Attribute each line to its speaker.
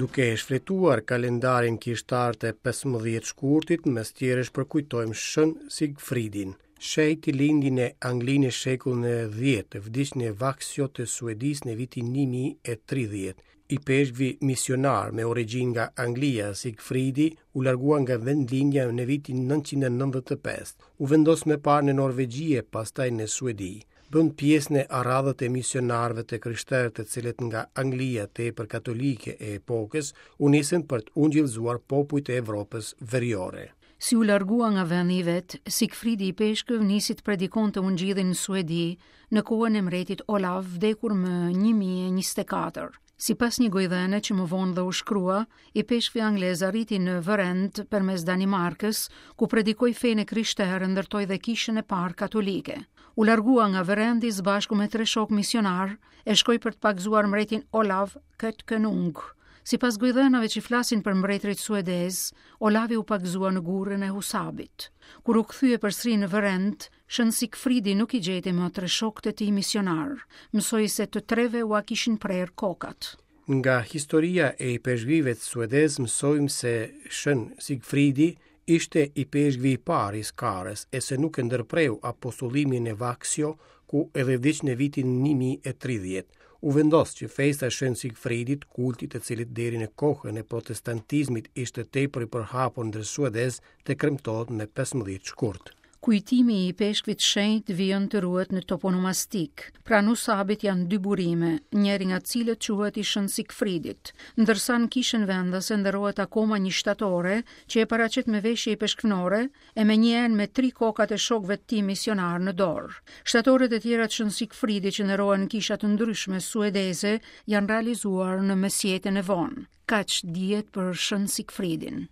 Speaker 1: Duke e shfletuar kalendarin kishtar të 15 shkurtit, mes tjerësh përkujtojmë Shën Sigfridin. Shenjti lindi në Angli në shekullin e 10, vdiq në Vaksjo të Suedisë në vitin 1030. Ipeshkvi misionar me origjinë nga Anglia, Sigfridi, u largua nga vendlindja në vitin 995. U vendos më parë në Norvegji e pastaj në Suedi. Bën pjesë në radhët e misionarëve të krishterë të cilët nga Anglia tepër katolike e epokës u nisën për të ungjillëzuar popujt e Evropës veriore.
Speaker 2: Si u largua nga vendi i vet, Sigfridi ipeshkëv nisi të predikonte ungjillin në Suedi në kohën e mbretit Olav, vdekur më 1024. Sipas një gojëdhëne që më vonë dhe u shkrua, ipeshkvi anglez arriti në Vërend përmes Danimarkës, ku predikoi fenë e krishterë e ndërtoi dhe kishën e parë katolike. U largua nga Vërendi së bashku me tre shokë misionarë e shkoi për të pagëzuar mbretin Olav Skötkonung. Sipas gojëdhënave që flasin për mbretërit suedezë, Olavi u pagëzua në gurrën e Husabit. Kur u kthye përsëri në Vërend, Shën Sigfridi nuk i gjeti më tre shokët e tij misionarë. Mësoi se të treve ua kishin prerë kokat.
Speaker 1: Nga historia e ipeshkvijve suedezë mësojmë se Shën Sigfridi ishte ipeshkvi i parë i Skarës e se nuk e ndërpreu apostullimin në Vaksjo, ku edhe vdiq në vitin 1030. U vendos që festa e Shën Sigfridit, kulti i të cilit deri në kohën e protestantizmit ishte tepër i përhapur ndër suedezë, të kremtohet me 15 shkurt.
Speaker 2: Kujtimi i ipeshkvit shenjt vijon të ruhet në toponomastikë. Pranë Husabit janë dy burime, njëri nga të cilët quhet i Shën Sigfridit, ndërsa në kishën vendase nderohet akoma një shtatore që e paraqet me veshje ipeshkvnore e me një enë me tri kokat e shokëve të tij misionarë në dorë. Shtatoret e tjera të Shën Sigfridit që nderohen në kisha të ndryshme suedeze janë realizuar në mesjetën e vonë. Kaq dihet për Shën Sigfridin.